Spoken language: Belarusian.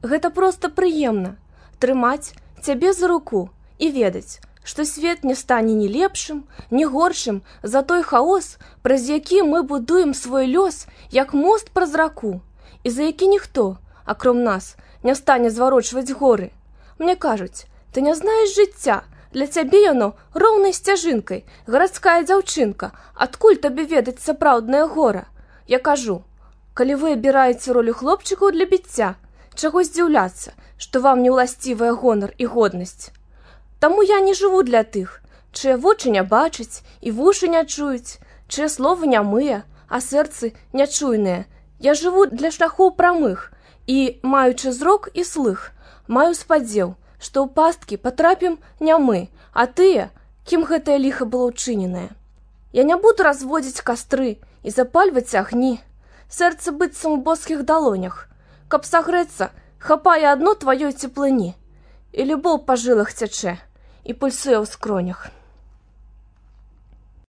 Гэта проста прыемна трымаць цябе за руку і ведаць, што свет не стане ні лепшым, ні горшым за той хаос, праз які мы будуем свой лёс, як мост праз раку, і за які ніхто, акром нас, не стане зварочваць горы. Мне кажуць, ты не знаеш жыцця, для цябе яно роўнай сцяжынкай, гарадская дзяўчынка, адкуль табе ведаць сапраўднае гора? Я кажу, калі вы абіраеце ролю хлопчыкаў для біцця, чаго здзіўляцца, што вам не ўласцівая гонар і годнасць. Таму я не жыву для тых, чые вочы не бачаць і вушы не чуюць, чые словы нямыя, а сэрцы нячуйныя. Я жыву для шляхоў прамых і, маючы зрок і слых, маю спадзеў, што ў пасткі патрапім не мы, а тыя, кім гэтае ліха было ўчыненае. Я не буду разводзіць кастры і запальваць агні, сэрца быццам у боскіх далонях. Каб сагрэцца, хапае адно тваёй цеплыні, і любоў па жылах цячэ, і пульсуе ў скронях.